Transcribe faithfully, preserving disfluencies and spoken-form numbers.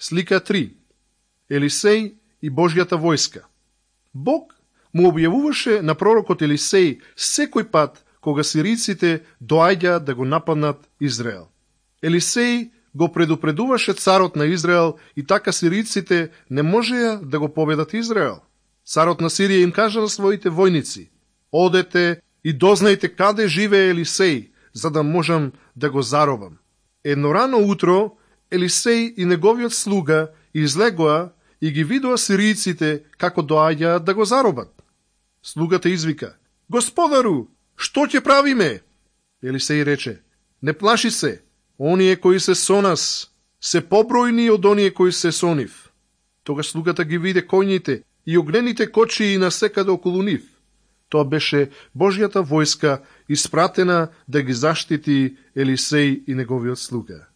Слика три. Елисеј и Божјата војска. Бог му објавуваше на пророкот Елисеј секој пат кога сириците доаѓа да го нападнат Израел. Елисеј го предупредуваше царот на Израел и така сириците не можеа да го победат Израел. Царот на Сирија им кажа на своите војници: одете и дознајте каде живее Елисеј, за да можам да го заробам. Едно рано утро Елисеј и неговиот слуга излегоа и ги видоа сириците како доаѓаат да го заробат. Слугата извика: Господару, што ќе правиме? Елисеј рече: не плаши се, оние кои се со нас се побројни од оние кои се со нив. Тогаш слугата ги виде коњите и огнените кочии насекаде околу нив. Тоа беше Божјата војска испратена да ги заштити Елисеј и неговиот слуга.